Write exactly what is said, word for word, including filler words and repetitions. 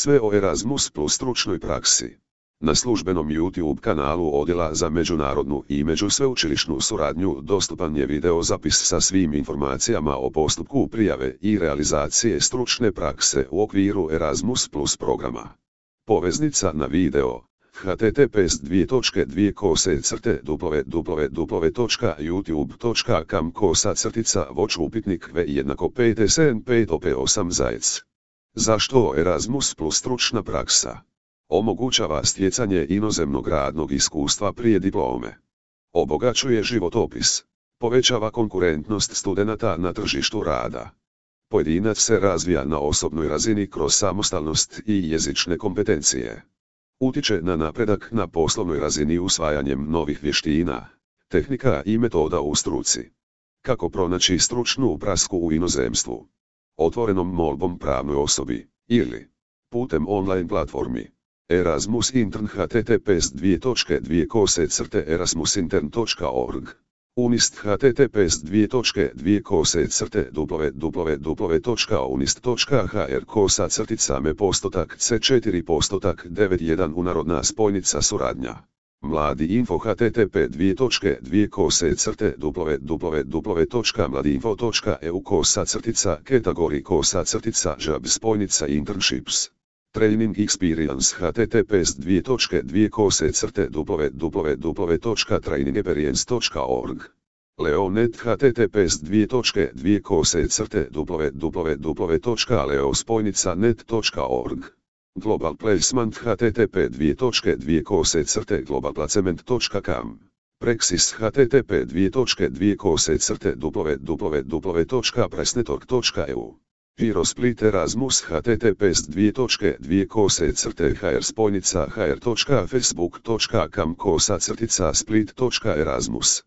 Sve o Erasmus plus stručnoj praksi. Na službenom YouTube kanalu Odjela za međunarodnu i međusveučilišnu suradnju dostupan je video zapis sa svim informacijama o postupku prijave i realizacije stručne prakse u okviru Erasmus plus programa. Poveznica na video h t t p s dvije točke dvije kose crte w w w točka youtube točka com kosa crtica voć upitnik v jednako pet sedam pet op osam zajec. Zašto Erasmus plus stručna praksa? Omogućava stjecanje inozemnog radnog iskustva prije diplome. Obogaćuje životopis. Povećava konkurentnost studenata na tržištu rada. Pojedinac se razvija na osobnoj razini kroz samostalnost i jezične kompetencije. Utiče na napredak na poslovnoj razini usvajanjem novih vještina, tehnika i metoda u struci. Kako pronaći stručnu prasku u inozemstvu? Otvorenom molbom pravnoj osobi, ili putem online platformi. Erasmus Intern h t t p s dvije točke dvije kose crte erasmusintern točka org. Unist h t t p s dvije točke dvije kose crte w w w točka unist točka h r kosa crtica me postotak c četiri postotak devet jedan unarodna spojnica suradnja. Mladi info h t t p dvije točke dvije kose crte w w w točka mladinfo točka e u kosa crtica kategori kosa crtica job spojnica internships. Training Experience h t t p s dvije točke dvije kose crte w w w točka training experience točka org. Leonet h t t p s dvije točke dvije kose crte w w w točka leo spojnica net točka org. Global Placement h t t p dvije točke dvije kose crte global placement točka com. Praxis h t t p dvije točke dvije kose crte w w w točka pressnetwork točka e u. Eurosplit Erasmus h t t p s dvije točke dvije kose crte hr spojnica hr točka facebook točka com kosa crtica split točka erasmus.